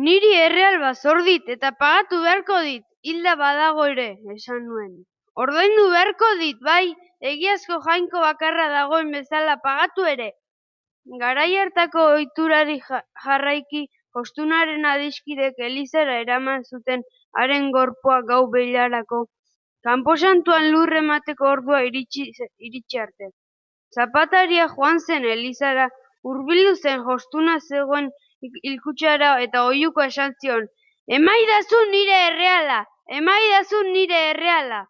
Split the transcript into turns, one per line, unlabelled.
Niri erreal bat zor dit eta pagatu beharko dit, hilda badago ere, esan nuen. Ordaindu beharko dit, bai, egiazko jainko bakarra dagoen bezala pagatu ere. Garai hartako ohiturari jarraiki, jostunaren adiskidek elizara eraman zuten haren gorpua gau beilarako, kanposantuan lur emateko ordua iritsi arte. Zapataria joan zen elizara, hurbildu zen jostuna zegoen hilkutsara eta oihuka esan zion, emaidazu nire erreala, emaidazu nire erreala.